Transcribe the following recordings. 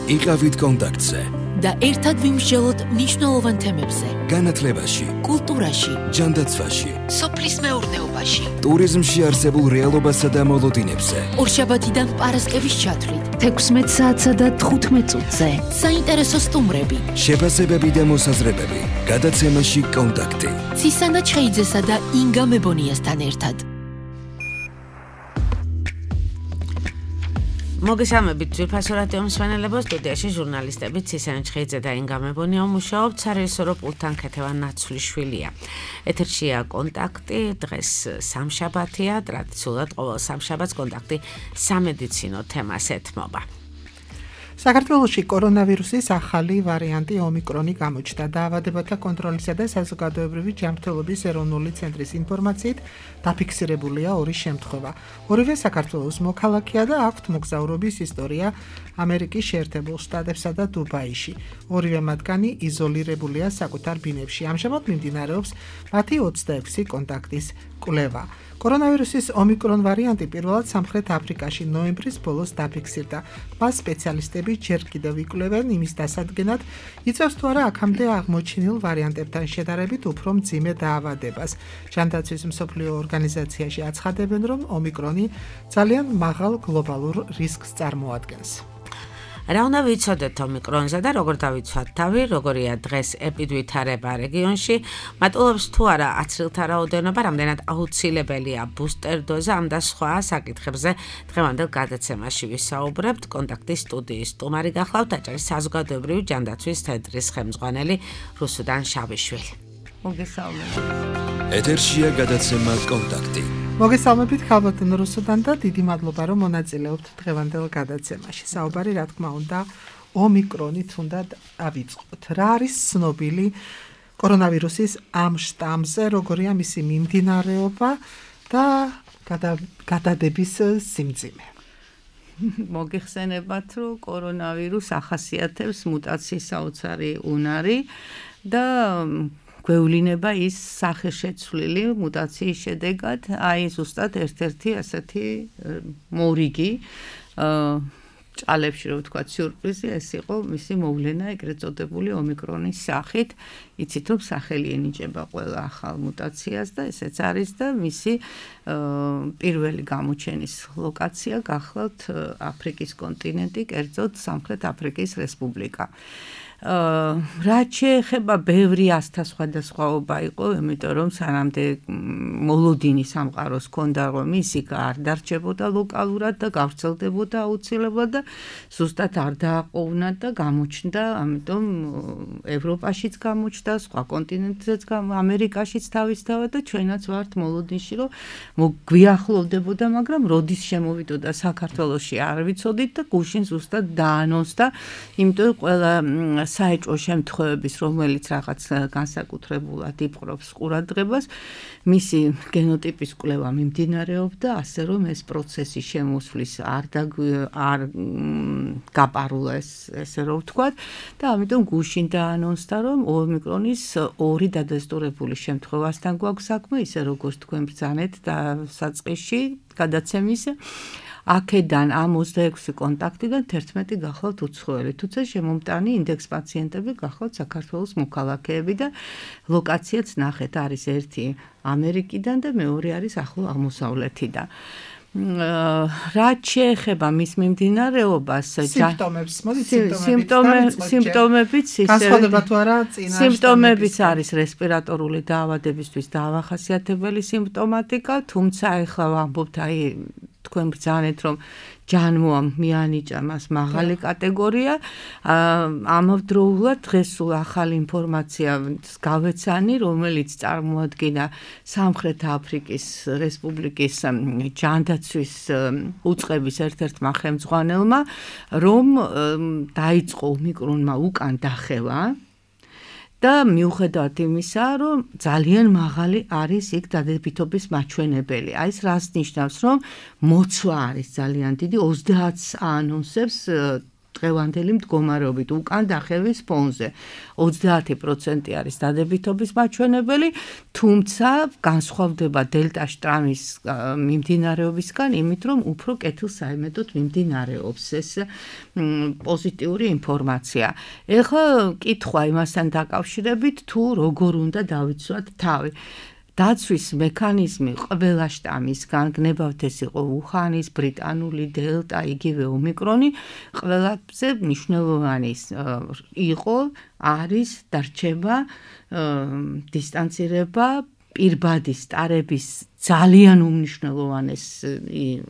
იყავით კონტაქტზე და ერთად ვიმსჯელოთ მნიშვნელოვან თემებზე. განათლებაში, კულტურაში, ჯანდაცვაში, სოფლის მეურნეობაში, ტურიზმში არსებულ რეალობასა და მოლოდინებზე. ორშაბათიდან პარასკევის ჩათვლით 16 საათსა და 15 წუთზე. საინტერესო სტუმრები, შეფასებები და მოსაზრებები. გადაცემაში კონტაქტი. ცისანა ჩხეიძესა და ინგა მებონიასთან ერთად. მოგესალმებით ძვირფასო რადიო მსმენელებო, სტუდიაში ჟურნალისტები ცისანა ჩხეიძე და ინგა მებონია მუშაობთ, სარესორო პულტთან ქეთევან ნაცვლიშვილია. ეთერშია კონტაქტი, დღეს სამშაბათია, ტრადიციულად ყოველ სამშაბათს კონტაქტი სამედიცინო თემას ეთმობა. საქართველოში კორონავირუსის ახალი ვარიანტი ომიკრონი გამოჩნდა. დაავადებათა კონტროლისა და საზოგადოებრივი ჯანმრთელობის ეროვნული ცენტრის ინფორმაციით დაფიქსირებულია 2 შემთხვევა. ორივე საქართველოს მოქალაქეა და აქვთ მოგზაურობის ისტორია ამერიკის შეერთებულ შტატებსა და დუბაიში. ორივე მათგანი იზოლირებულია საკუთარ ბინებში. ამჟამად მიმდინარეობს მათი 26 კონტაქტის კვლევა. კორონავირუსის ომიკრონ ვარიანტი პირველად სამხრეთ აფრიკაში ნოემბრის ბოლოს დაფიქსირდა. მას სპეციალისტები ჯერ კიდევ იკვლევენ იმის დასადგენად, იწევს თუ არა აქამდე აღმოჩენილ ვარიანტებთან შედარებით უფრო მძიმე დაავადებას. ჯანდაცვის მსოფლიო ორგანიზაციაში აცხადებენ, რომ ომიკრონი ძალიან მაღალ გლობალურ რისკს წარმოადგენს. რა უნდა ვიცოდეთ ომიკრონზე და როგორ დავიცვათ თავი, როგორია დღეს ეპიდვითარება რეგიონში, მატულობს თუ არა აცრილთა რაოდენობა, რამდენად აუცილებელია ბუსტერ დოზა, ამ და სხვა საკითხებზე დღევანდელ გადაცემაში ვისაუბრებთ. კონტაქტის სტუდიის სტუმარი გახლავთ, აჭარის საზოგადოებრივი ჯანდაცვის ცენტრის ხელმძღვანელი რუსუდან შავიშვილი. მოგესალმებით. ეთერშია გადაცემა კონტაქტი. მოგესალმებით ხალბატონ რუსუდან და დიდი მადლობა რომ მონაწილეობთ დღევანდელ გადაცემაში. საუბარი რა თქმა უნდა ომიკრონით უნდა ავიწყოთ. რა არის ცნობილი კორონავირუსის ამ შტამზე, როგორია მისი მიმდინარეობა და გადადების სიმძიმე? მოგეხსენებათ, რომ კორონავირუსს ახასიათებს მუტაციის საოცარი უნარი და გვევლინება ის სახეშეცვლილი მუტაციის შედეგად, აი ზუსტად ერთ-ერთი ასეთი მორიგი ჭალებში, რომ ვთქვათ, სიურპრიზი ეს იყო მისი მოვლენა ეგრეთ წოდებული ომიკრონის სახით. იცით, რომ სახელი ენიჭება ყველა ახალ მუტაციას და ესეც არის და მისი პირველი გამოჩენის ლოკაცია გახლავთ აფრიკის კონტინენტი, კერძოდ სამხრეთ აფრიკის რესპუბლიკა. რაც შეეხება ბევრი ასთა სხვადასხვაობა იყო, იმიტომ რომ სანამდე მოლოდინი სამყაროს ჰქონდა, რომ ისი არ დარჩებოდა ლოკალურად და გავრცელდებოდა აუცილებლად და ზუსტად არ დააყოვნა და გამოჩნდა, ამიტომ ევროპაშიც გამოჩნდა, სხვა კონტინენტზეც, ამერიკაშიც თავისთავად და ჩვენაც ვართ მოლოდინში, რომ გვიახლოვდებოდა, მაგრამ როდის შემოვიდოდა საქართველოში არ ვიცოდით და გუშინ ზუსტად დაანონსდა, იმიტომ ყველა საეჭვო შემთხვევების, რომელიც რაღაც განსაკუთრებულად იპყრობს ყურადღებას, მისი გენოტიპის კვლევა მიმდინარეობდა, ასე რომ ეს პროცესი შემოსვლის არ გაპარულა ესე რომ ვთქვათ და ამიტომ გუშინ დაანონსდა, რომ ომიკრონის 2 დადასტურებული შემთხვევასთან გვაქვს საქმე, ისე როგორც თქვენ ბრძანეთ და საწყისში გადაცემის აქედან ამ 26 კონტაქტიდან 11 გახლავთ უცხოელი, თუმცა შემომტანი ინდექს პაციენტები გახლავთ საქართველოს მოქალაქეები და ლოკაციაც ნახეთ, არის ერთი ამერიკიდან და მეორე არის ახლო აღმოსავლეთიდან. რაც შეეხება მის მიმდინარეობას, სიმპტომებიც განსხვავდება თუ არა წინა სიმპტომებიც არის რესპირატორული დაავადებისთვის დაავახასიათებელი სიმპტომატიკა, თუმცა ეხლა ვამბობთ აი თქვენ ბრძანეთ, რომ ჯანმოა მიანიჭა მას მაღალი კატეგორია, ამავდროულად დღეს სულ ახალი ინფორმაცია გავეცანი, რომელიც წარმოადგენდა სამხრეთ აფრიკის რესპუბლიკის ჯანდაცვის უწყების ერთ-ერთმა ხელმძღვანელმა, რომ დაიწყო ომიკრონმა უკან დახევა და მიუხედავად იმისა, რომ ძალიან მაღალი არის იქ დადებითობის მაჩვენებელი. აი ეს რას ნიშნავს, რომ მოცვა არის ძალიან დიდი, 30-ს აანონსებს დღევანდელი მდგომარეობით უკან დახევის ფონზე. 30% არის დადებითობის მაჩვენებელი, თუმცა განსხვავდება დელტა შტრამის მიმდინარეობისგან, იმით რომ უფრო კეთილსაიმედოდ მიმდინარეობს ეს პოზიტიური ინფორმაცია. ეხლა კითხვა იმასთან დაკავშირებით, თუ როგორ უნდა დავიცვათ თავი. დაცვის მექანიზმი ყველა შტამისგან, გნებავთ ეს იყო უხანის, ბრიტანული, დელტა, იგივე ომიკრონი, ყველაზე მნიშვნელოვანი იყო, არის დარჩება, დისტანცირება, პირბადი სტარების ძალიან უმნიშვნელოვანეს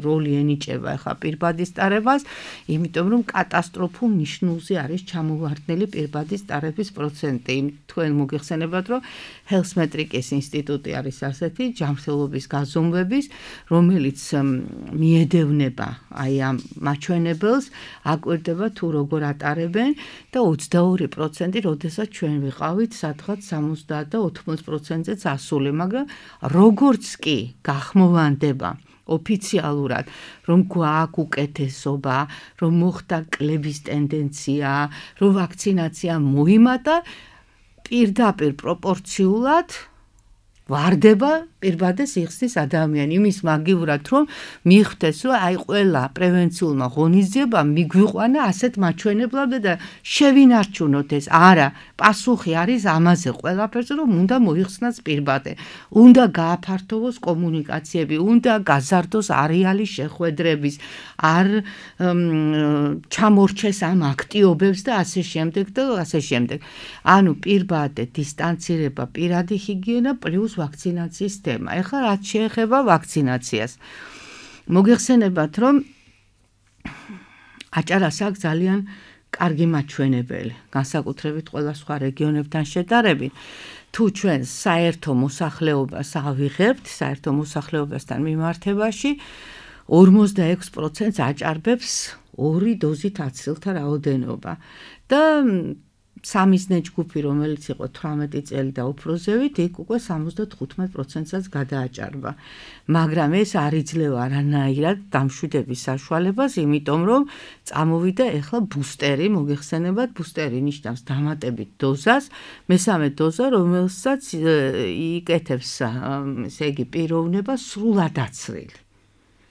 როლი ენიჭება ახლა პირბადი სტარებას, იმიტომ რომ კატასტროფულ ნიშნულზე არის ჩამოვარდნილი პირბადი სტარების პროცენტი. თქვენ მოგეხსენებათ, რომ ჰელსმეტრიკის ინსტიტუტი არის ასეთი ჯანმრთელობის გაზომვების, რომელიც მიედევნება აი ამ მაჩვენებელს, აკვირდება თუ როგორ ატარებენ და 22%, როდესაც ჩვენ ვიყავით სადღაც 70 და 80%-ზე ასული, მაგრამ როგორც კი გახმოვანდება ოფიციალურად, რომ გვაქვს უკეთესობა, რომ მოხდა კლების ტენდენცია, რომ ვაქცინაცია მოიმატა, პირდაპირ პროპორციულად ვარდება პირბადე სიხსნის ადამიანი, იმის მაგივრად, რომ მიხვდეს, რომ აი ყველა პრევენციულმა ღონისძიებამ მიგვიყვანა ასეთ მაჩვენებლად და შევინარჩუნოთ ეს. არა, პასუხი არის ამაზე ყველაფერზე, რომ უნდა მოიხსნას პირბადე, უნდა გააფართოვოს კომუნიკაციები, უნდა გაზარდოს არეალი შეხვედრების, არ ჩამორჩეს ამ აქტიობებს და ასე შემდეგ და ასე შემდეგ. ანუ პირბადე, დისტანცირება, პირადი ჰიგიენა პლუს ვაქცინაციის თემა. ეხლა რაც შეეხება ვაქცინაციას. მოგეხსენებათ, რომ აჭარას აქვს ძალიან კარგი მაჩვენებელი, განსაკუთრებით ყველა სხვა რეგიონებთან შედარებით. თუ ჩვენ საერთო მოსახლეობას ავიღებთ, საერთო მოსახლეობასთან მიმართებაში 46%-ს აჭარბებს 2 დოზით აცილთა რაოდენობა და სამიზნე ჯგუფი, რომელიც იყო 18 წელი და უფრო ზევით, იქ უკვე 75%-საც გადააჭარბა. მაგრამ ეს არ იძლევა არანაირად დამშვიდების საშუალებას, იმიტომ რომ წამოვიდა ეხლა ბუსტერი, მოგეხსენებათ, ბუსტერი ნიშნავს დამატებით დოზას, მესამე დოზა, რომელსაც იკეთებს, ესე იგი, პიროვნება სრულად აცრილი.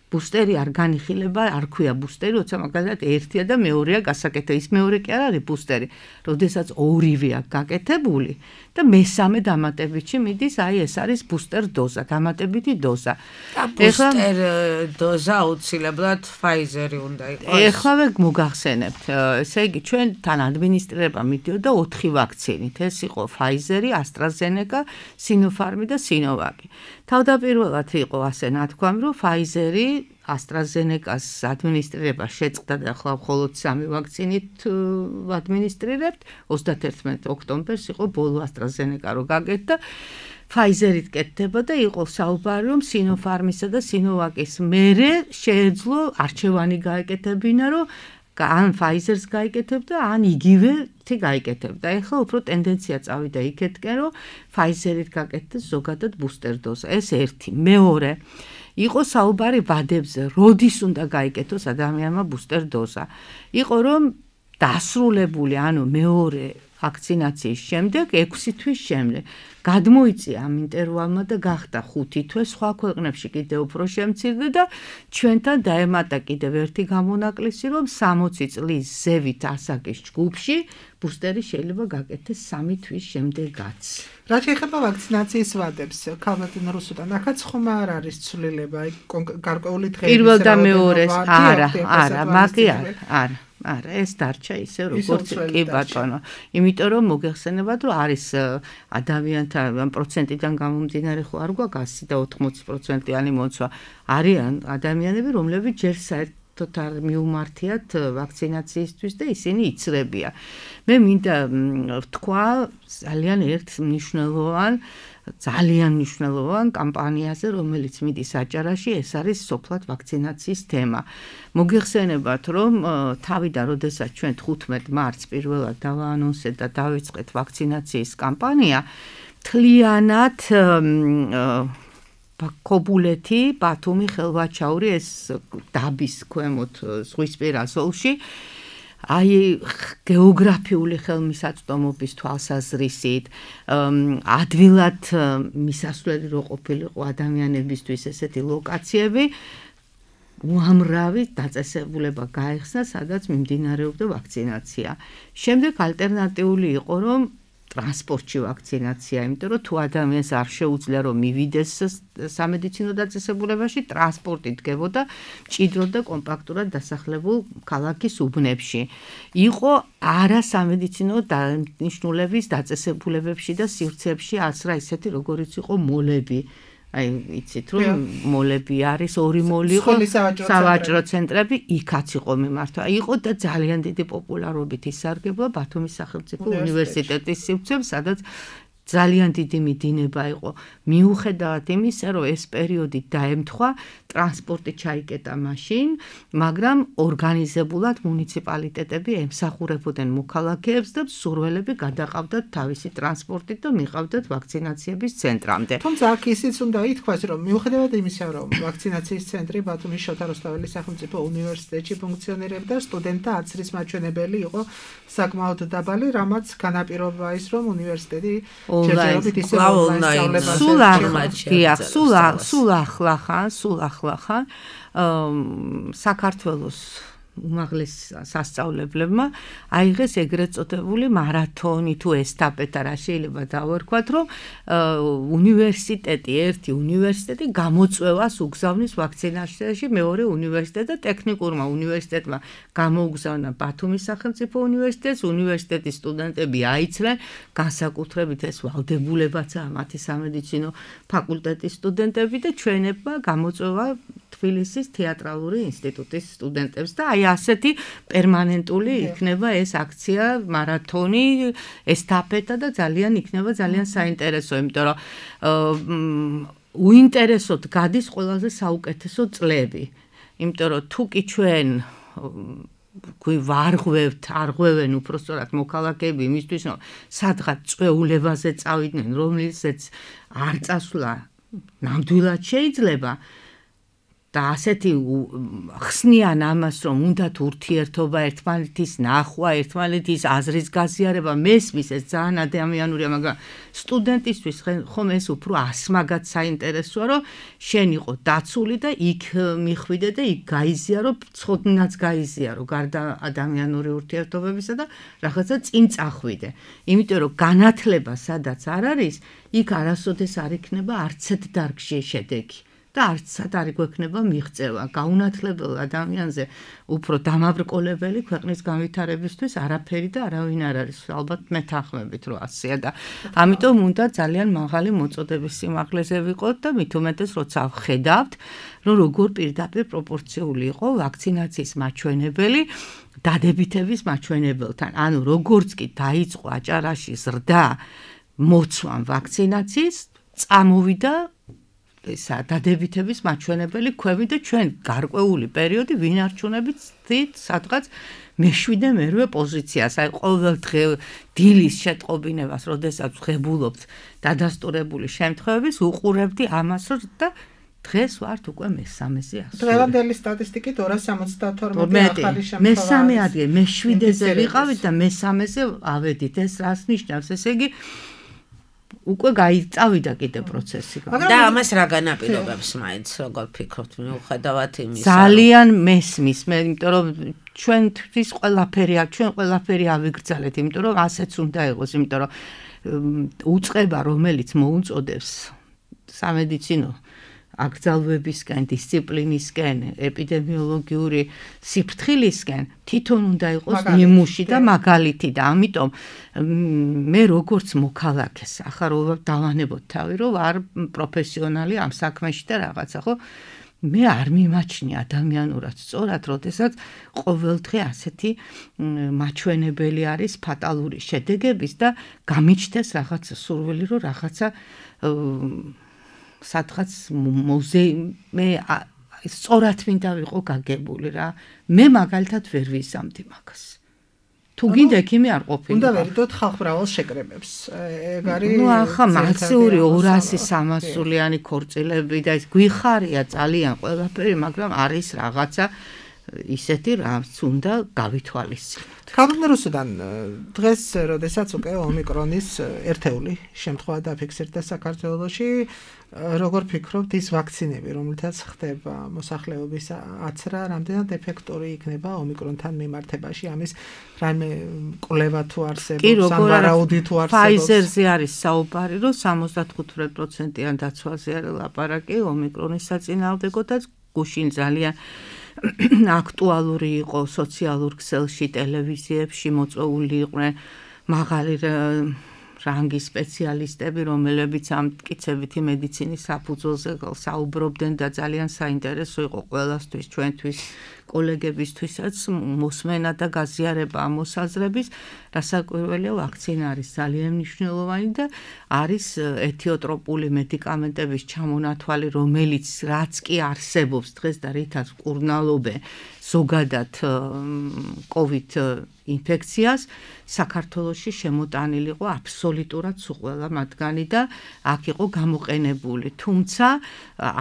ბუსტერი არ განიხილება, არ ქვია ბუსტერი, როცა მაგალითად ერთია და მეორეა გასაკეთებული. ის მეორე კი არ არის ბუსტერი, როდესაც ორივეა გაკეთებული და მესამე დამატებითში მიდის, აი ეს არის ბუსტერ დოზა, დამატებითი დოზა. ბუსტერ დოზა აუცილებლად Pfizer-ი უნდა იყოს. ეხლავე მოგახსენებთ, ესე იგი ჩვენთან ადმინისტრირება მიდიოდა 4 ვაქცინით. ეს იყო Pfizer-ი, AstraZeneca, Sinopharm და Sinovac-ი. თავდაპირველად იყო ასე ნათქვამი, რომ Pfizer-ი AstraZeneca-ს ადმინისტრირება შეწყდა და ახლა მხოლოდ 3 ვაქცინით ვადმინისტრირებთ. 31 ოქტომბერს იყო ბოლო AstraZeneca რო გაკეთდა. Pfizer-ით კეთდება და იყო საუბარი, რომ Sinopharm-ისა და Sinovac-ის მერე შეეძლო არჩევანი გაეკეთებინა, რომ ან Pfizer-ს გაიკეთებდა, ან იგივე გაიკეთებდა. ეხლა უფრო ტენდენცია წავიდა იქეთკენ, რომ Pfizer-ით გაკეთდეს ზოგადად ბუსტერ დოზა. ეს ერთი. მეორე, იყო საუბარი ვადებზე, როდის უნდა გაიკეთოს ადამიანმა ბუსტერ დოზა. იყო რომ დასრულებული, ანუ მეორე ვაქცინაციის შემდეგ 6 თვის შემდეგ გადმოიწია ამ ინტერვალმა და გახდა 5 თვე, სხვა ქვეყნებში კიდევ უფრო შემცირდა და ჩვენთან დაემატა კიდევ ერთი გამონაკლისი, რომ 60 წლის ზევით ასაკის ჯგუფში ბუსტერი შეიძლება გაკეთდეს 3 თვის შემდეგაც. რაც შეეხება ვაქცინაციის ვადებს, ქალბატონ რუსუდან, ახაც ხომ არ არის ცვლილება, გარკვეული დღეების პირველ და მეორეს, არა, მაგი არა. არა, ეს დარჩა ისე როგორც კი ბატონო. იმიტომ რომ მოგეხსენებათ, რომ არის ადამიანთა პროცენტიდან გამომდინარე ხო არ გვაქვს 100 და 80%-იანი მოცვა. არიან ადამიანები, რომლებიც ჯერ საერთოდ არ მიუმართიათ ვაქცინაციისთვის და ისინი იცრებიან. მე მინდა ვთქვა ძალიან ერთ ძალიან მნიშვნელოვან კამპანიაზე, რომელიც მიდის აჭარაში, ეს არის სოფლად ვაქცინაციის თემა. მოგეხსენებათ, რომ თავიდან როდესაც ჩვენ 15 მარტს პირველად დავაანონსეთ და დავიწყეთ ვაქცინაციის კამპანია, მთლიანად ქობულეთი, ბათუმი, ხელვაჩაური, ეს დაბის ქვემოთ ზღვისპირა ზოლში აი გეოგრაფიული ხელმისაწვდომობის თვალსაზრისით, ადვილად მისასვლელი რო ყოფილიყო ადამიანებისთვის ესეთი ლოკაციები, უამრავი დაწესებულება გაიხსნა, სადაც მიმდინარეობდა ვაქცინაცია. შემდეგ ალტერნატიული იყო, რომ ტრანსპორტში ვაქცინაცია, იმიტომ რომ თუ ადამიანს არ შეუძლია რომ მივიდეს სამედიცინო დაწესებულებაში, ტრანსპორტი დგებოდა მჭიდროდ და კომპაქტურად დასახლებულ ქალაქის უბნებში. იყო არასამედიცინო დანიშნულების დაწესებულებებში და სივრცეებში ასრა ისეთი, როგორიც იყო მოლები. აი, იცით რომ მოლები არის, ორი მოლი იყო, სავაჭრო ცენტრები, იქაც იყო მიმართვა. იყო და ძალიან დიდი პოპულარობით ისარგებლა ბათუმის სახელმწიფო უნივერსიტეტის სივრცეებში, სადაც ძალიან დიდი მიდინება იყო. მიუხედავად იმისა, რომ ეს პერიოდი დაემთხვა, ტრანსპორტი ჩაიკეტა მაშინ, მაგრამ ორგანიზებულად მუნიციპალიტეტები ემსახურებოდნენ მოქალაქეებს და მსურველები გადაყავდათ თავისი ტრანსპორტით და მიყავდათ ვაქცინაციების ცენტრამდე. თუმცა აქ ისიც უნდა ითქვას, რომ მიუხედავად იმისა, რომ ვაქცინაციის ცენტრი ბათუმის შოთა რუსთაველის სახელმწიფო უნივერსიტეტში ფუნქციონირებდა, სტუდენტთა აცრის მაჩვენებელი იყო საკმაოდ დაბალი, რამაც განაპირობა ის, რომ უნივერსიტეტი ჯერჯერობით ისე სულ ახლა საქართველოს უმაღლეს სასწავლებლებმა აიღეს ეგრეთ წოდებული მარათონი თუ ესტაფეტა, რა შეიძლება დავარქვათ, რომ ერთი უნივერსიტეტი გამოწვევას უგზავნის ვაქცინაციაში, მეორე უნივერსიტეტი და ტექნიკურმა უნივერსიტეტმა გამოუგზავნა ბათუმის სახელმწიფო უნივერსიტეტს, უნივერსიტეტის სტუდენტები აიცრნენ, განსაკუთრებით ეს ვალდებულებაცაა მათი სამედიცინო ფაკულტეტის სტუდენტები და ჩვენებმა გამოწვევა თბილისის თეატრალური ინსტიტუტის სტუდენტებს და აი ასეთი პერმანენტული იქნება ეს აქცია, მარათონი, ესტაფეტა და ძალიან იქნება ძალიან საინტერესო, იმიტომ რომ უინტერესოდ გადის ყველაზე საუკეთესო წლები. იმიტომ რომ თუ კი ჩვენ არღვევენ უпростоრად მოქალაქეები იმისთვის, რომ სადღაც წვეულებაზე წავიდნენ, რომელსაც არ წასვლა ნამდვილად შეიძლება და ასეთი ხსნიან ამას, რომ უნდათ ურთიერთობა, ერთმანეთის ნახვა, ერთმანეთის აზრის გაზიარება, მესმის ეს ძალიან ადამიანურია, მაგრამ სტუდენტისთვის ხომ ეს უფრო ასმაგად საინტერესოა, რომ შენ იყო დაცული და იქ მიხვიდე და იქ გაიზიარო, ცხოდნაც გაიზიარო, გარდა ადამიანური ურთიერთობებისა და რაღაცა წინ წახვიდე. იმიტომ რომ განათლება სადაც არ არის, იქ არასოდეს არ იქნება არცეთ დარგში შედეგი. და არცად არ გვექნება მიღწევა. გაუნათლებელ ადამიანზე უფრო დამაბრკოლებელი ქვეყნის განვითარებისთვის არაფერი და არავინ არ არის. ალბათ მეთანხმებით რომ ასეა და ამიტომ უნდა ძალიან მაღალი მოწოდების სიმაღლეზე ვიყოთ და მით უმეტეს როცა ვხედავთ, რომ როგორ პირდაპირ პროპორციული იყო ვაქცინაციის მაჩვენებელი დადებითების მაჩვენებელთან. ანუ როგორც კი დაიწყო აჭარაში ზრდა მოცვამ ვაქცინაციის, წამოვიდა ესა დადებითების მაჩვენებელი ქვევი და ჩვენ გარკვეული პერიოდი ვინარჩუნებით სადღაც მე-7-მერვე პოზიციას. აი ყოველ დღე დილის შეტყობინებას, როდესაც ვღებულობთ დადასტურებული შემთხვევების, უყურებდი ამას და დღეს ვართ უკვე მე-3-ზე. დღევანდელი სტატისტიკით 272 ახალი შემთხვევა. მე-3 ადგილ, მე-7-ზე ვიყავით და მე-3-ზე ავედით. ეს რას ნიშნავს? ესე იგი უკვე წავიდა კიდე პროცესი. და ამას რა განაპირობებს მაინც, როგორ ფიქრობთ, მიუხედავად იმისა? ძალიან მესმის, იმიტომ რომ ჩვენთვის ჩვენ ყველაფერი ავიგრძელეთ, იმიტომ რომ ასეც უნდა იყოს, იმიტომ რომ უწყება, რომელიც მოუწოდებს სამედიცინო აკრძალვებისკენ, დისციპლინისკენ, ეპიდემიოლოგიური სიფრთხილისკენ თვითონ უნდა იყოს ნიმუში და მაგალითი და ამიტომ მე როგორც მოქალაქეს ახლა რომ დავანებოთ თავი, რომ არ პროფესიონალი ამ საქმეში და რაღაცა, ხო? მე არ მიმაჩნია ადამიანურად სწორად, როდესაც ყოველდღე ასეთი მაჩვენებელი არის ფატალური შედეგების და გამიჩნდეს რაღაცა სურვილი, რომ რაღაცა სადღაც მე სწორად მინდა ვიყო გაგებული რა. მე მაგალითად ვერ ვისამდი მაგას. თუ გინდა ექიმი არ ყოფილი. უნდა ვერიდოთ ხალხმრავალ შეკრებებს. ეგ არის ახლა მასიური 200-300-იანი ქორწილები და ეს გვიხარია ძალიან ყველაფერი, მაგრამ არის რაღაცა ისეთი რაც უნდა გავითვალისწინოთ. კალენდაროსიდან დღეს, როდესაც უკვე ომიკრონის ერთეული შემთხვევა დაფიქსირდა საქართველოში, როგორ ფიქრობთ ის ვაქცინები, რომელთაც ხდება მოსახლეობის აცრა, რამდენად ეფექტური იქნება ომიკრონთან მიმართებაში, ამის რაიმე კვლევა თუ არსებობს, ან ვარაუდი თუ არსებობს? Pfizer-ზე არის საუბარი, რომ 75%-იან დაცვაზე არის ლაპარაკი ომიკრონის საწინააღმდეგოდაც, გუშინ ძალიან აქტუალური იყო სოციალურ ქსელში, ტელევიზიებში მოწვეული იყვნენ მაღალი რანგის სპეციალისტები, რომლებიც ამ მტკიცებითი მედიცინის საფუძველზე საუბრობდნენ და ძალიან საინტერესო იყო ყველასთვის, ჩვენთვის, კოლეგებისთვისაც მოსმენა და გაზიარება ამ მოსაზრების, რასაკვირველია, ვაქცინა არის ძალიან მნიშვნელოვანი და არის ეთიოტროპული მედიკამენტების ჩამონათვალი, რომელიც რაც კი არსებობს დღეს და რითაც კურნალობენ ზოგადად COVID ინფექციას, საქართველოში შემოტანილი იყო აბსოლუტურად ყველა მათგანი და აქ იყო გამოყენებული. თუმცა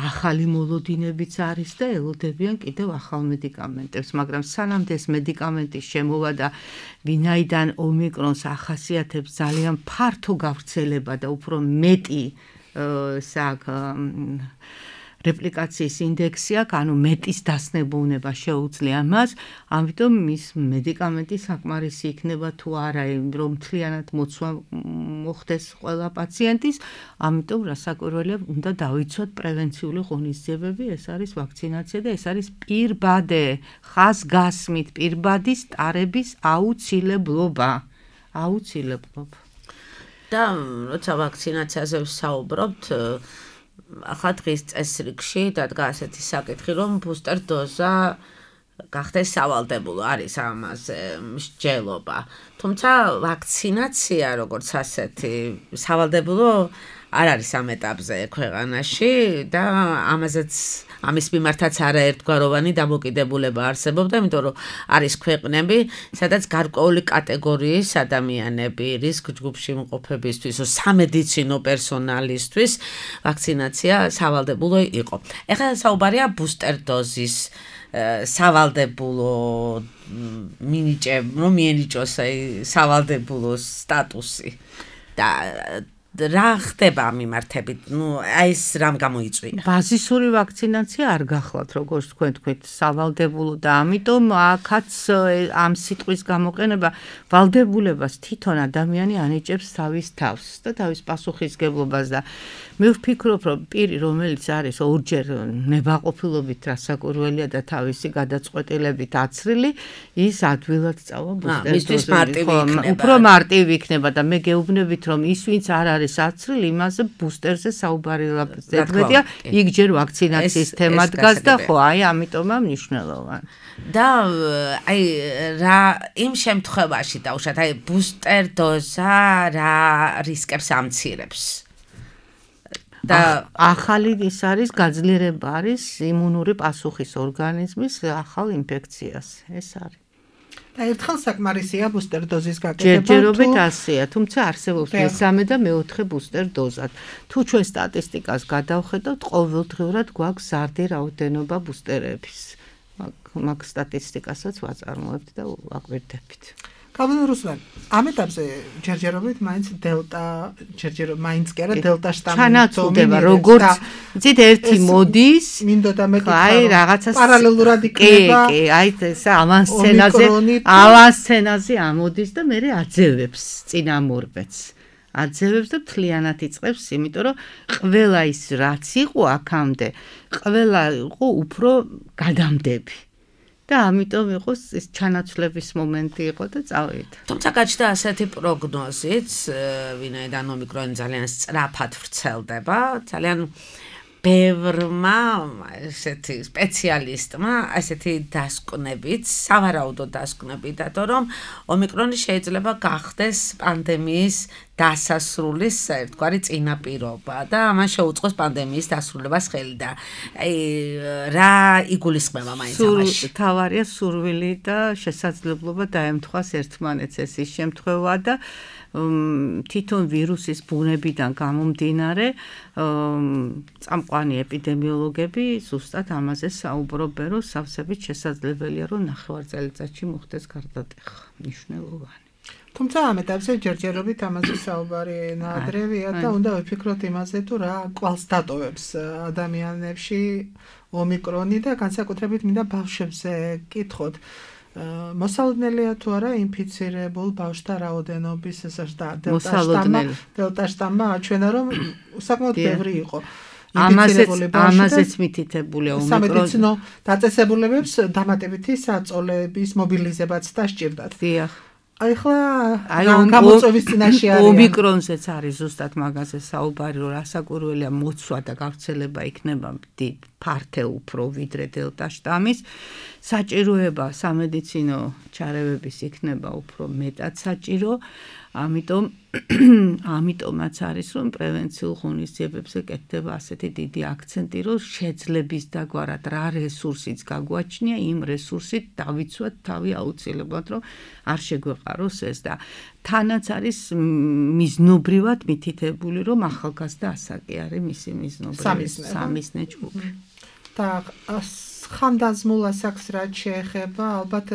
ახალი მოლოდინებიც არის და ელოდებიან კიდევ ახალ მედიკამენტებს, მაგრამ სანამ ეს მედიკამენტის შემოვა და ვინაიდან ომიკრონს ახასიათებს ძალიან ფართო გავრცელება და უფრო მეტი რეპლიკაციის ინდექსი აქვს, ანუ მეტის დასნებოვნება შეუძლია მას, ამიტომ მის მედიკამენტი საკმარისი იქნება თუ არა, რომ მთლიანად მოცვა მოხდეს ყველა პაციენტის, ამიტომ რასაკვირველია, უნდა დავიცვათ პრევენციული ღონისძიებები, ეს არის ვაქცინაცია და ეს არის პირბადე, ხაზგასმით პირბადის ტარების აუცილებლობა. და როცა ვაქცინაციაზე ვსაუბრობთ, ახლა დღის წესრიგში დადგა ასეთი საკითხი, რომ ბუსტერ დოზა გახდეს სავალდებულო, არის ამაზე მსჯელობა. თუმცა ვაქცინაცია როგორც ასეთი სავალდებულო არ არის ამ ეტაპზე ქვეყანაში და ამის მიმართაც არაერთგვაროვანი დამოკიდებულება არსებობდა, იმიტომ რომ არის ქვეყნები, სადაც გარკვეული კატეგორიის ადამიანები რისკ ჯგუფში იმყოფებისთვის, სამედიცინო პერსონალისთვის ვაქცინაცია სავალდებულო იყო. ეხლა საუბარია ბუსტერ დოზის სავალდებულო რომ მიენიჭოს სავალდებულო სტატუსი და რა ხდება ამ მიმართებით? ეს რამ გამოიწვია? ბაზისური ვაქცინაცია არ გახლავთ, როგორც თქვენ თქვით, სავალდებულო და ამიტომ აქაც ამ სიტყვის გამოყენება ვალდებულებას თვითონ ადამიანი ანიჭებს თავის თავს და თავის პასუხისგებლობას და მე ვფიქრობ, რომ პირი, რომელიც არის ორჯერ ნებაყოფილობით რასაკვირველია და თავისი გადაწყვეტილებით აცრილი, ის ადვილად წავა ბუსტერ დოზით. უფრო მარტივი იქნება და მე გეუბნებით, რომ ის ვინც არ არის აცრილი, იმაზე ბუსტერზე საუბარი ზედმეტია, იქ ჯერ ვაქცინაციის თემა დგას და ხო, ამიტომა მნიშვნელოვანი. და რა იმ შემთხვევაში დაუშვათ, ბუსტერ დოზა რა რისკებს ამცირებს? და ახალი ის არის გაძლიერება არის იმუნური პასუხის ორგანიზმის ახალ ინფექციას. ეს არის. და ერთხელ საკმარისია ბუსტერ დოზის გაკეთება. ჯერჯერობით ასეა, თუმცა არსებობს მესამე და მეოთხე ბუსტერ დოზად. თუ ჩვენ სტატისტიკას გადავხედავთ, ყოველდღიურად გვაქვს ზარდი რაოდენობა ბუსტერების. მაგ სტატისტიკასაც ვაწარმოებთ და ვაკვირდებით. კალენდაროსთან ამ ეტაპზე ჯერჯერობით მაინც მაინც კი არა დელტა შტამი ჩანაცვლდება, როგორც იცით, ერთი მოდის, მინდოდა მეტი რაღაცას პარალელურად იქნება. კი, ეს ავანსცენაზე ამოდის და მე აძევებს წინამორბედს. აძევებს და მთლიანად იწყებს, იმიტომ რომ ყველა ის რაც იყო აქამდე, ყველა იყო უფრო გადამდები. და ამიტომ იყო ეს ჩანაცვლების მომენტი იყო და წავიდა. თუმცა გაჩნდა ასეთი პროგნოზიც, ვინაიდან ომიკრონი ძალიან სწრაფად ვრცელდება, ძალიან ბევრმა ესეთი სპეციალისტმა ასეთი დასკვნებით, სავარაუდო დასკვნებით დადო, რომ ომიკრონი შეიძლება გახდეს პანდემიის დასასრულის ერთგვარი წინაპირობა და ამან შეუწყოს პანდემიის დასრულებას ხელი და რა იგულისხმება მაინც ამაში? თავარია სურვილი და შესაძლებლობა დაემთხვას ერთმანეთს ეს ის შემთხვევა და თვითონ ვირუსის ბუნებიდან გამომდინარე წამყვანი ეპიდემიოლოგები ზუსტად ამაზე საუბრობენ, რომ სავსებით შესაძლებელია, რომ ნახევარწელიწადში მოხდეს გარდატეხა მნიშვნელოვანი. თუმცა ამ ეტაპზე ჯერჯერობით ამაზე საუბარი ნაადრევია და უნდა ვიფიქროთ იმაზე, თუ რა კვალს დატოვებს ადამიანებში ომიკრონი და განსაკუთრებით მინდა ბავშვებზე კითხოთ. მოსალოდნელია თუ არა ინფიცირებულ ბავშვთა რაოდენობის დელტა შტამმა აჩვენა, რომ საკმაოდ ბევრი იყო. ამაზეც მითითებულია ომიკრონი. სამედიცინო დაწესებულებებს დამატებითი საწოლების მობილიზებაც დასჭირდათ. დიახ. აი გამოწვევის წინაშე არის. ომიკრონზეც არის ზუსტად მაგაზე საუბარი, რომ რასაკვირველია მოცვა და გავრცელება იქნება ფართე უფრო ვიდრე დელტა შტამის. საჭიროება სამედიცინო ჩარევების იქნება უფრო მეტად საჭირო. ამიტომაც არის, რომ პრევენციულ ღონისძიებებზე კეთდება ასეთი დიდი აქცენტი, რომ შეძლების დაგვარად რა რესურსიც გაგვაჩნია, იმ რესურსით დავიცვათ თავი აუცილებლად, რომ არ შეგვეყაროს ეს და თანაც არის მიზნობრივად მითითებული, რომ ახალგაზრდა ასაკი არის მისი მიზნობრივი სამიზნე ჯგუფი. და ხანდაზმულ ასაკს რაც შეეხება, ალბათ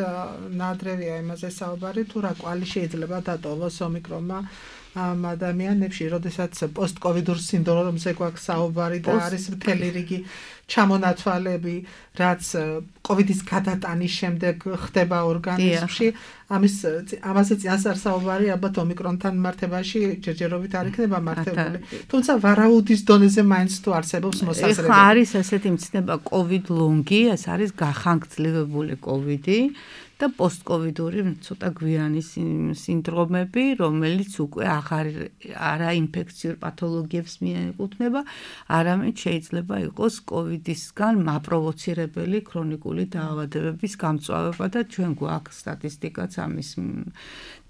ნაადრევია იმაზე საუბარი, თუ რა კვალი შეიძლება დატოვოს ომიკრონმა ამ ადამიანებში, როდესაც პოსტკოვიდურ სინდრომზე გვაქვს საუბარი და არის მთელი რიგი ჩამონათვალები, რაც კოვიდის გადატანის შემდეგ ხდება ორგანიზმში. ამაზე წინასწარ საუბარი ალბათ ომიკრონთან მართებაში ჯერჯერობით არ იქნება მართებული. თუმცა ვარაუდის დონეზე მაინც თუ არსებობს მოსაზრება. ეხლა არის ასეთი მცნება COVID long-ი, ეს არის გახანგრძლივებული COVID-ი. და პოსტკოვიდური ცოტა გვიანი სინდრომები, რომელიც უკვე არა ინფექციურ პათოლოგიებს მიეკუთვნება, არამედ შეიძლება იყოს კოვიდისგან მაპროვოცირებელი ქრონიკული დაავადებების გამწვავება და ჩვენ გვაქვს სტატისტიკაც ამის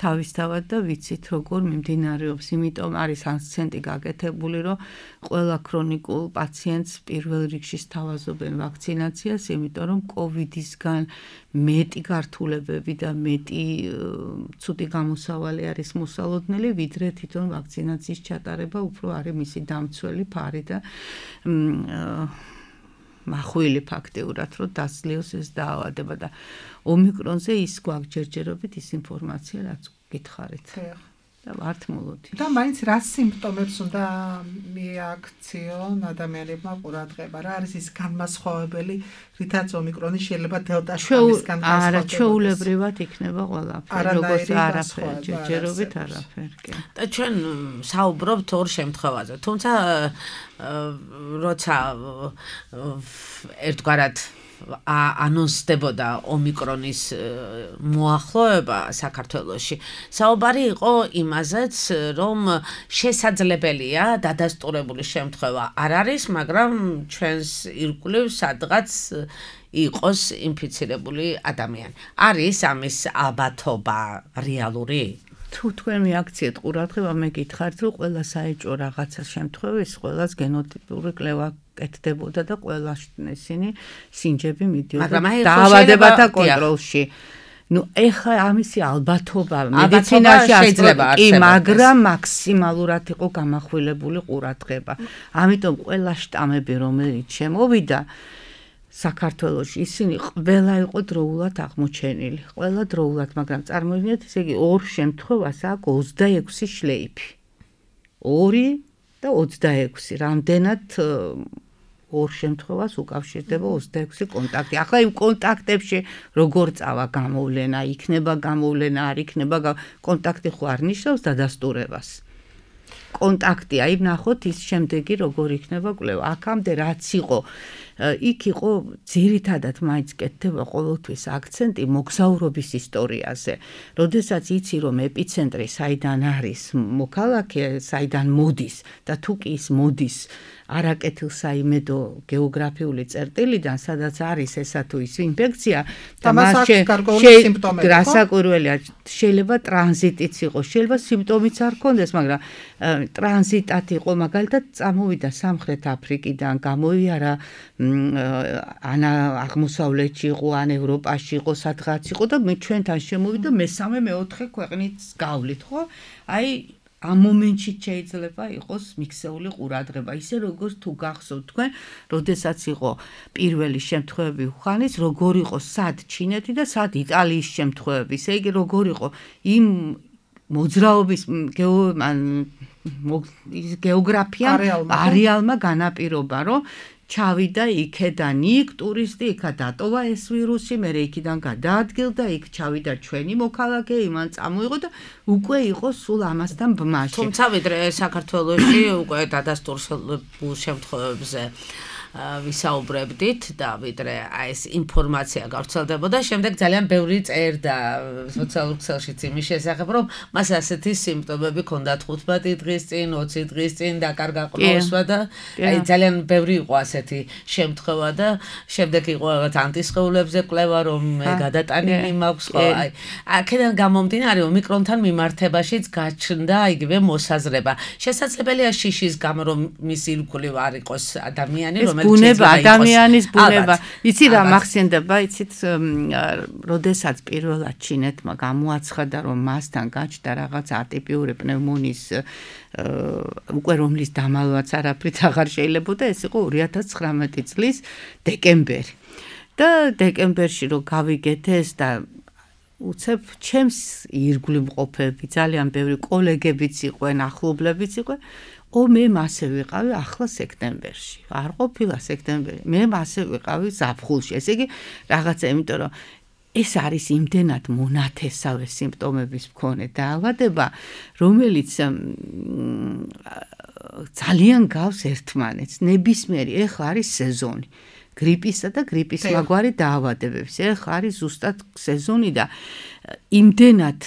თავისთავად და ვიცით როგორ მიმდინარეობს. იმიტომ არის აქცენტი გაკეთებული, რომ ყველა ქრონიკულ პაციენტს პირველ რიგში სთავაზობენ ვაქცინაციას, იმიტომ რომ კოვიდისგან მეტი გართულებები და მეტი ცუდი გამოსავალი არის მოსალოდნელი, ვიდრე თვითონ ვაქცინაციის ჩატარება უფრო არის მისი დამცველი ფარი და მახვილი ფაქტიურად, რომ დასლიოს ეს დაავადება და ომიკრონზე ის გვაქვს ჯერჯერობით ის ინფორმაცია, რაც გითხარით. და ვართ მოლოდი. და მაინც რა სიმპტომებს უნდა მიაქციონ ადამიანებმა ყურადღება? რა არის ის განმასხვავებელი, რითაც ომიკრონი შეიძლება დელტა შტამისგან განსხვავდება? არა, ჩვეულებრივად იქნება ყველაფერი, როგორც არაფერი, ჯერჯერობით არაფერი. და ჩვენ საუბრობთ ორ შემთხვევაზე, თუმცა როცა ერთგვარად ანონსდებოდა ომიკრონის მოახლოება საქართველოში. საუბარი იყო იმაზეც, რომ შესაძლებელია დადასტურებული შემთხვევა არ არის, მაგრამ ჩვენს ირგვლივ სადღაც იყოს ინფიცირებული ადამიანი. არის ამის ალბათობა რეალური? თუ თქვენ მიაქციეთ ყურადღება, მე გითხარით, რომ ყველა საეჭვო რაღაცა შემთხვევის ყველას გენოტიპური კვლევა კეთდებოდა და ყველა ისინი სინჯები მიდიოდა დაავადებათა კონტროლში. ეხლა ამისი ალბათობა მედიცინაში შეიძლება არსებობს, მაგრამ მაქსიმალურად იყო გამახვილებული ყურადღება. ამიტომ ყველა შტამები, რომელიც შემოვიდა საქართველოში, ისინი ყველა იყო დროულად აღმოჩენილი. ყველა დროულად, მაგრამ წარმოიდგინეთ, ესე იგი ორ შემთხვევას აქვს 26 შლეიფი. 2 და 26. რამდენად ორ შემთხვევას უკავშირდება 26 კონტაქტი. ახლა იმ კონტაქტებში როგორ წავა გამოვლენა, იქნება გამოვლენა, არ იქნება კონტაქტი ხო არ ნიშნავს დადასტურებას. კონტაქტი, აი ნახოთ ის შემდეგი როგორ იქნება კვლევა. აქამდე რაც იყო, იქ იყო ძირითადად მაინც კეთდება ყოველთვის აქცენტი მოგზაურობის ისტორიაზე. როდესაც იცი რომ ეპიცენტრი საიდან არის მოქალაქე, საიდან მოდის და თუ კი ის მოდის არაკეთილსაიმედო გეოგრაფიული წერტილიდან, სადაც არის ესა თუ ის ინფექცია და მასში რასაკვირველია, შეიძლება ტრანზიტიც იყოს, შეიძლება სიმპტომიც არ ქონდეს, მაგრამ ტრანზიტად იყო, მაგალითად წამოვიდა სამხრეთ აფრიკიდან, გამოიარა ან აღმოსავლეთში იყო, ან ევროპაში იყო, სადღაც იყო და მე ჩვენთან შემოვიდა მესამე მეოთხე ქვეყნიც გავლით, ხო? აი ამ მომენტში შეიძლება იყოს მიქსეული ყურადღება, ისე როგორც თუ გახსოვთ თქვენ, როდესაც იყო პირველი შემთხვევები უხანის, როგორ იყო სად ჩინეთი და სად იტალიის შემთხვევები, ესე იგი როგორ იყო იმ მოძრაობის გეოგრაფია არეალმა განაპირობა, რომ ჩავიდა იქედან იქ ტურისტი, იქა დატოვა ეს ვირუსი, მე იქიდან გადაადგილდა, იქ ჩავიდა ჩვენი მოქალაქე, იმან წამოიღო და უკვე იყო სულ ამასთან ბმაში. თუმცა ვიდრე საქართველოში უკვე დადასტურებულ შემთხვევებზე ვისაუბრებდით და ვიდრე ეს ინფორმაცია გავრცელდებოდა, შემდეგ ძალიან ბევრი წერდა სოციალურ ქსელშიც იმის შესახებ, რომ მას ასეთი სიმპტომები ჰქონდა 15 დღის წინ, 20 დღის წინ დაკარგა ყნოსვა და აი ძალიან ბევრი იყო ასეთი შემთხვევა და შემდეგ იყო რაღაც ანტისხეულებზე კვლევა, რომ გადატანილი მაქვს, ხო, აი აქედან გამომდინარე ომიკრონთან მიმართებაშიც გაჩნდა იგივე მოსაზრება. შესაძლებელია შიშის გამო რომ მის ირგვლივ არ იყოს ადამიანი, ბუნება, ადამიანის ბუნება. იცი რა მახსენდება, იცით, როდესაც პირველად ჩინეთმა გამოაცხადა, რომ მასთან გაჩნდა რაღაც ატიპიური პნევმონიის უკვე რომლის დამალვაც არაფრით აღარ შეიძლებოდა, ეს იყო 2019 წლის დეკემბერი. და დეკემბერში რო გავიგეთ ეს და უცებ ჩემს ირგვლივ მყოფები, ძალიან ბევრი კოლეგებიც იყვენ, ახლობლებიც იყვენ. მე მასე ვიყავი ახლა სექტემბერში. არ ყოფილა სექტემბერი. მე მასე ვიყავი ზაფხულში. ესე იგი რაღაცა, იმიტომ რომ ეს არის იმდენად მონათესავე სიმპტომების მქონე დაავადება, რომელიც ძალიან გავს ერთმანეთს. ნებისმიერი ეხლა არის სეზონი. გრიპისა და გრიპის მაგვარი დაავადებების. ეხლა არის ზუსტად სეზონი და იმდენად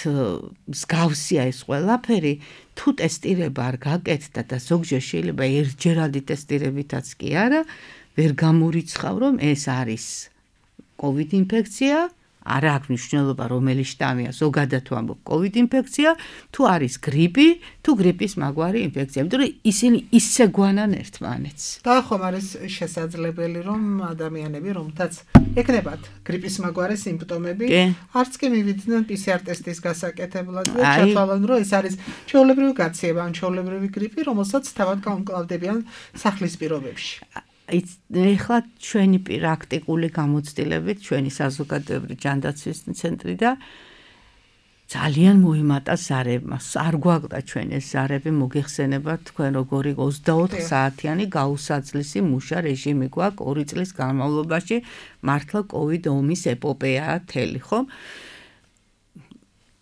მსგავსია ეს ყველაფერი, თუ ტესტირება არ გაკეთდა და ზოგჯერ შეიძლება ერთჯერადი ტესტირებითაც კი არა, ვერ გამორიცხავ, რომ ეს არის COVID ინფექცია, არა აქვს მნიშვნელობა რომელი შტამია, ზოგადად ვამბობ COVID ინფექცია, თუ არის გრიპი, თუ გრიპის მაგვარი ინფექცია, იმიტომ რომ ისინი ისე გვანან ერთმანეთს. და ხომ არის შესაძლებელი, რომ ადამიანები, რომთაც ეკნებათ გრიპის მაგვარი სიმპტომები, არც კი მივიდნენ PCR ტესტის გასაკეთებლად და ჩათვალონ, რომ ეს არის ჩვეულებრივი გაცემა, ან ჩვეულებრივი გრიპი, რომელსაც თავად გაუმკლავდებიან სახლის პირობებში. ეხლა ჩვენი პრაქტიკული გამოცდილებით, ჩვენი საზოგადოებრივი ჯანდაცვის ცენტრი და ძალიან მოიმატა ზარებმა. არ გვაქვს ჩვენ ეს ზარები, მოგეხსენებათ თქვენ როგორი 24 საათიანი გაუსაძლისი მუშა რეჟიმი გვაქვს 2 წლის განმავლობაში, მართლა COVID ომის ეპოპეაა თელი, ხო?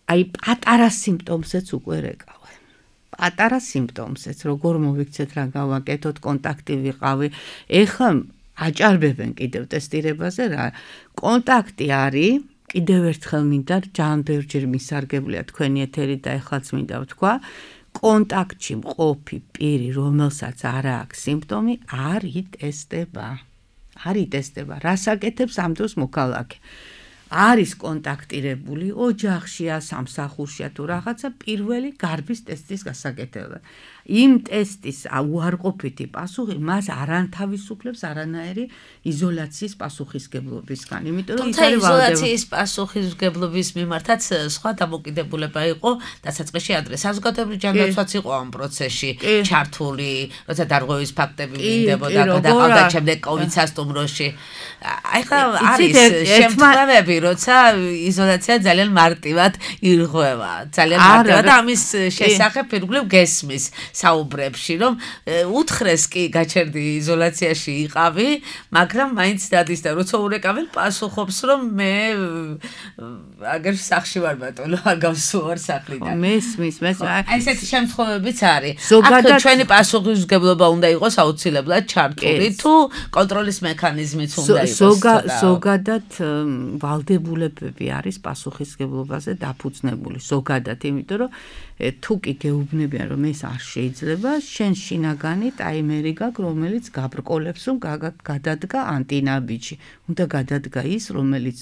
აი პატარა სიმპტომზეც უკვე რეკავ. პატარა სიმპტომზეც, როგორ მოვიქცეთ რა გავაკეთოთ, კონტაქტი ვიყავი. ეხლა აჭარბებენ კიდევ ტესტირებაზე რა. კონტაქტი არის, კიდევ ერთხელ მინდა ძალიან ბევრჯერ მისარგებლია თქვენი ეთერი და ეხლაც მინდა ვთქვა, კონტაქტში მყოფი პირი, რომელსაც არ აქვს სიმპტომი, არ იტესტება. არ იტესტება. რას აკეთებს ამ დროს მოქალაქე? არის კონტაქტირებული ოჯახშია, სამსახურშია თუ რაღაცა, პირველი გარბის ტესტის გასაკეთება. იმ ტესტის უარყოფითი პასუხი მას არ ანთავისუფლებს არანაირი იზოლაციის პასუხისგებლობისგან. იმიტომ რომ ის არის იზოლაციის პასუხისგებლობის მიმართაც სხვა დამოკიდებულება იყო დასაწყისში ადრე. საზოგადოებრივი ჯანდაცვაც იყო ამ პროცესში ჩართული, როცა დარღვევის ფაქტები მინდებოდა გადაყავდა შემდეგ COVID სასტუმროში. ახლა არის შემთხვევები, როცა იზოლაცია ძალიან მარტივად ირღვევა, ძალიან მარტივად და ამის შესახებ ირგვლივ გესმის საუბრებში, რომ უთხრეს კი გაჩერდი იზოლაციაში იყავი, მაგრამ მაინც დადის და როცა ურეკავენ პასუხობს, რომ მე აგერ სახში ვარ ბატონო, არ გავსუვარ სახლიდან. მესმის. აი ესეთი შემთხვევებიც არის. აქ ჩვენი პასუხისმგებლობა უნდა იყოს აუცილებლად ჩართული, თუ კონტროლის მექანიზმიც უნდა იყოს. ზოგადად ვალდებულებები არის პასუხისმგებლობაზე დაფუძნებული, ზოგადად, იმიტომ რომ თუ კი გეუბნებიან, რომ ეს არ შეიძლება, შენ შინაგანი ტაიმერი გაქვს, რომელიც გაბრკოლებს, რომ გადადგა ანტინაბიჯი. უნდა გადადგა ის, რომელიც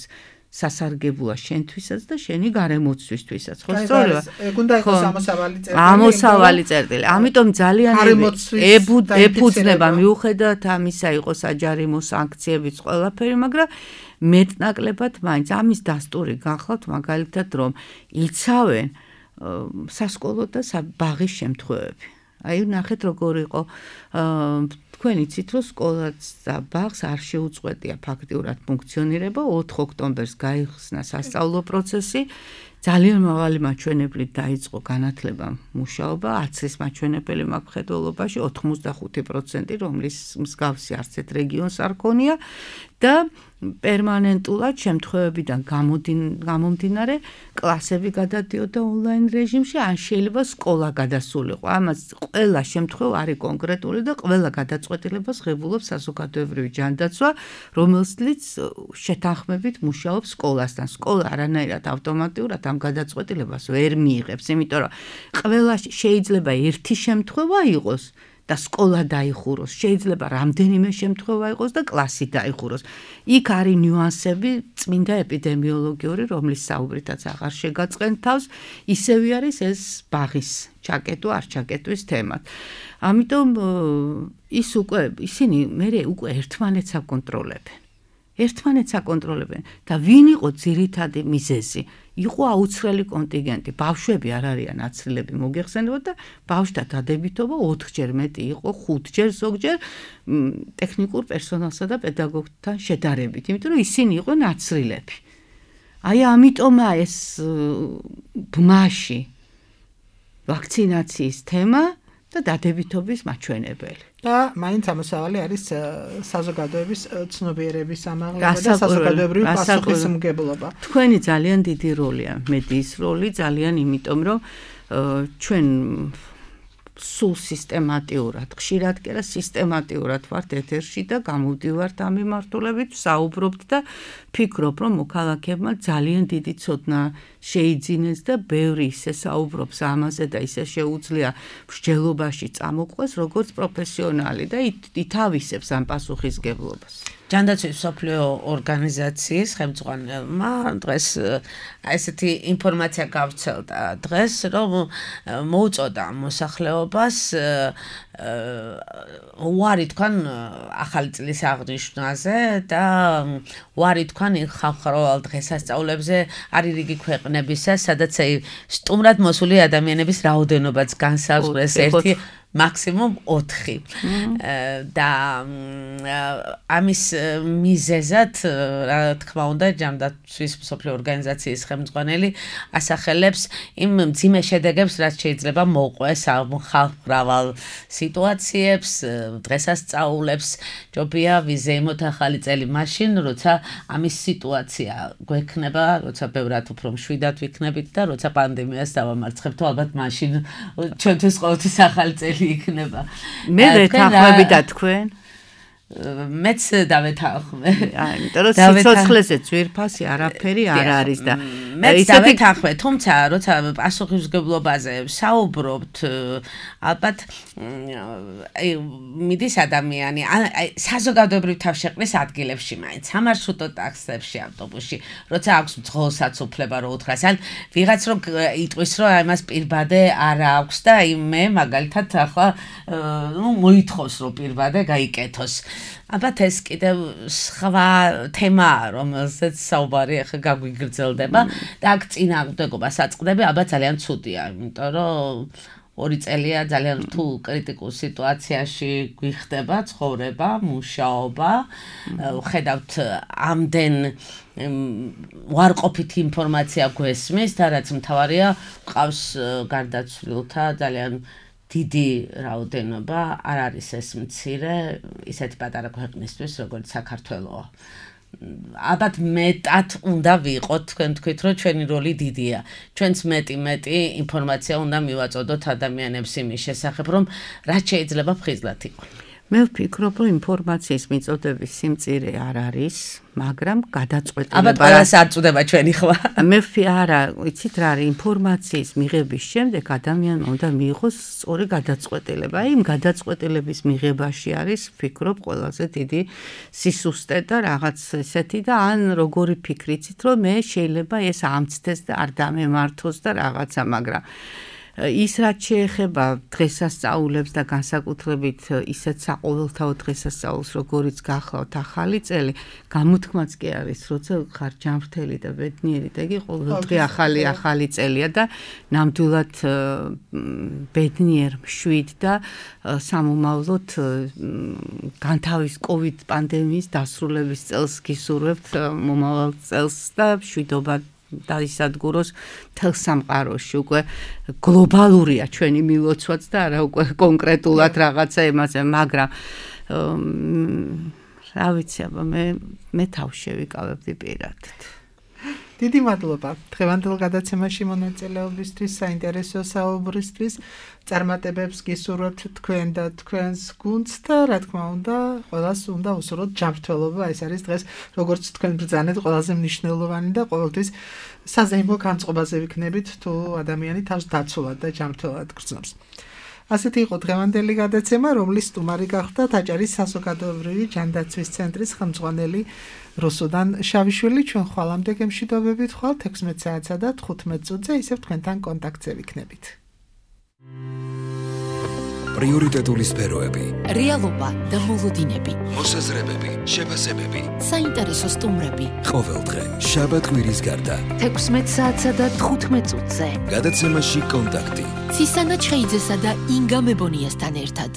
სასარგებლოა შენთვისაც და შენი გარემოცვისთვისაც, ხო სწორია? ეგ უნდა იყოს ამოსავალი წერტილი. ამოსავალი წერტილი. ამიტომ ძალიან ეფუძნება მიუხედავად ამისა იყო საჯარიმო სანქციებიც ყველაფერი, მაგრამ მეტნაკლებად მაინც ამის დასტური გახლავთ მაგალითად რომ იცავენ სასკოლო და ბაღის შემთხვევები. აი ნახეთ როგორ იყო თქვენ იცით რომ სკოლაც და ბაღს არ შეუწყვეტია ფაქტიურად ფუნქციონირება 4 ოქტომბერს გაიხსნა სასწავლო პროცესი ძალიან მაღალი მაჩვენებლით დაიწყო განათლება მუშაობა 10 წლის მაჩვენებელი მხედველობაში 85% რომლის მსგავსი არც ერთ რეგიონს არ ქონია და პერმანენტულად შემთხვევებიდან გამომდინარე კლასები გადადიოდა ონლაინ რეჟიმში ან შეიძლება სკოლა გადასულიყო ამას ყველა შემთხვევა არის კონკრეტული და ყველა გადაწყვეტილებას ღებულობს საზოგადოებრივი ჯანდაცვა რომელსაც შეთანხმებით მუშაობს სკოლასთან სკოლა არანაირად ავტომატურად ამ გადაწყვეტილებას ვერ მიიღებს იმიტომ რომ ყველა შეიძლება ერთი შემთხვევა იყოს და სკოლა დაიხუროს. შეიძლება რამდენიმე შემთხვევა იყოს და კლასი დაიხუროს. იქ არის ნიუანსები წმინდა ეპიდემიოლოგიური, რომლის საუბრითაც აღარ შეგაწყენ თავს, ისევ არის ეს ბაღის ჩაკეტვა, არ ჩაკეტვის თემა. ამიტომ ისინი მერე უკვე ერთმანეთს აკონტროლებენ. ერთმანეთს აკონტროლებენ და ვინ იყო ძირითადი მიზეზი? იყო აუცილებელი კონტინგენტი. ბავშვები არ არიან აცილები მოგეხსენებათ და ბავშვთა დადებითობა 4-ჯერ მეტი იყო, 5-ჯერ ზოგჯერ ტექნიკურ პერსონალსა და პედაგოგთან შედარებით, იმიტომ რომ ისინი იყვნენ აცილები. აი ამიტომა ეს ბმაში ვაქცინაციის თემა და დადებითობის მაჩვენებელი. და მაინც ამოსავალი არის საზოგადოების ცნობიერების ამაღლება და საზოგადოებრივი პასუხისმგებლობა. თქვენი ძალიან დიდი როლია, მედიის როლი ძალიან იმიტომ რომ ჩვენ სულ სისტემატიურად, ხშირად კი არა სისტემატიურად ვართ ეთერში და გამოვდივართ ამ მიმართულებით, საუბრობთ და ფიქრობ რომ მოქალაქეებმა ძალიან დიდი ცოდნა შეიძინეს და ბევრი ისე საუბრობს ამაზე და ისე შეუძლია მსჯელობაში წამოყვეს როგორც პროფესიონალი და ითავისებს ამ პასუხისგებლობას. ჯანდაცვის მსოფლიო ორგანიზაციის ხელმძღვანელმა დღეს ესეთი ინფორმაცია გავრცელდა დღეს რომ მოუწოდა მოსახლეობას უარი თქვან ახალი წლის აღნიშვნაზე და უარი თქვან ხალხმრავალ დღესასწაულებზე არის რიგი ქვეყნებისა სადაც სტუმრად მოსული ადამიანების რაოდენობაც განსაზღვრეს ერთი მაქსიმუმ 4 და ამის მიზეზად რა თქმა უნდა ჯანდაცვის მსოფლიო ორგანიზაციის ხელმძღვანელი ასახელებს იმ მძიმე შედეგებს რაც შეიძლება მოუყვეს ხალხმრავალ სიტუაციებს დღესასწაულებს ჯობია ვიზეიმოთ ახალი წელი მაშინ როცა ამის სიტუაცია გვექნება როცა ბევრად უფრო მშვიდად ვიქნებით და როცა პანდემიას დავამარცხებთ ალბათ მაშინ ჩვენთვის ყოველთვის ახალი წელი იქნება. მე ვეთანხმები და თქვენ? მეც დავეთანხმე. იმიტომ რომ სიცოცხლეზე ძვირფასი არაფერი არ არის და მეც დავეთანხმე, თუმცა როცა პასუხისმგებლობაზე საუბრობთ, ალბათ მიდის ადამიანი საზოგადოებრივ თავშეყრის ადგილებში მაინც სამარშრუტო ტაქსებში, ავტობუსში, როცა აქვს მძღოლსაც უფლება რომ უთხრას, ან ვიღაც რომ იტყვის რომ ამას პირბადე არ აქვს და მე მაგალითად ახლა მოითხოვს რომ პირბადე გაიკეთოს. ალბათ ეს კიდევ სხვა თემაა, რომელზეც საუბარი ახლა გაგვიგრძელდება და აქ წინააღმდეგობა საწყდები ალბათ ძალიან ცუდია, იმიტომ რომ 2 წელია ძალიან რთულ კრიტიკულ სიტუაციაში გვიხდება ცხოვრება, მუშაობა, ხედავთ ამდენ უარყოფითი ინფორმაცია გვესმის და რაც მთავარია, ყავს გარდაცვლილთა ძალიან დიდი რაოდენობა, არ არის ეს მცირე, ისეთი პატარა ქვეყნისთვის, როგორც საქართველოა. ალბათ მეტად უნდა ვიყოთ, თქვენ თქვით, რომ ჩვენი როლი დიდია. ჩვენც მეტი ინფორმაცია უნდა მივაწოდოთ ადამიანებს იმის შესახებ, რომ რაც შეიძლება ფხიზლად იყოს. მე ვფიქრობ, რომ ინფორმაციის მიწოდების სიმწირე არ არის, მაგრამ გადაწყვეტილება აბა ყველას არ წუდება ჩვენი ხმა. მე არა, იცით რა არის, ინფორმაციის მიღების შემდეგ ადამიანმა უნდა მიიღოს სწორი გადაწყვეტილება. აი, იმ გადაწყვეტილების მიღებაში არის, ვფიქრობ, ყველაზე დიდი სისუსტე და რაღაც ესეთი და ან როგორი ფიქრი იცით, რომ მე შეიძლება ეს ამცდეს და არ დამემართოს და რაღაცა, მაგრამ ის რაც შეეხება დღესასწაულებს და განსაკუთრებით ისეთ საყოველთაო დღესასწაულს, როგორიც გახლავთ ახალი წელი, გამოთქმაც კი არის, როცა ხარ ჯანმრთელი და ბედნიერი და იგი ყოველდღე ახალი წელია და ნამდვილად ბედნიერ, მშვიდ და სამომავლოდ განთავის COVID პანდემიის დასრულების წელს გისურვებთ მომავალ წელს და მშვიდობა დაისადგუროს მთელ სამყაროში. უკვე გლობალურია ჩვენი მილოცვაც და არა უკვე კონკრეტულად რაღაცა იმაზე, მაგრამ რა ვიცი, აბა მე თავს შევიკავებდი პირადად. დიდი მადლობა დღევანდელ გადაცემაში მონაწილეობისთვის, საინტერესო საუბრისთვის. წარმატებებს გისურვებთ თქვენ და თქვენს გუნდს და რა თქმა უნდა, ყველას უნდა უსურვოთ ჯანმრთელობა. ეს არის დღეს, როგორც თქვენ ბრძანეთ, ყველაზე მნიშვნელოვანი და ყოველთვის საზეიმო განწყობაზე ვიქნებით, თუ ადამიანი თავს დაცულად და ჯანმრთელად გრძნობს. ასეთი იყო დღევანდელი გადაცემა, რომლის სტუმარი გახდა დაჭერის საზოგადოებრივი ჯანდაცვის ცენტრის ხელმძღვანელი რუსუდან შავიშვილი. ჩვენ ხვალამდე გემშვიდობებით ხვალთ 16 საათსა და 15 წუთზე, ისევ თქვენთან კონტაქტზე ვიქნებით. პრიორიტეტული სფეროები, რეალობა და მოლოდინები, მოსაზრებები, შეფასებები, საინტერესო სტუმრები. ყოველდღე შაბათ-კვირის გარდა 16 საათსა და 15 წუთზე. გადაცემაში კონტაქტი. ცისანა ჩხეიძესა და ინგა მებონიასთან ერთად.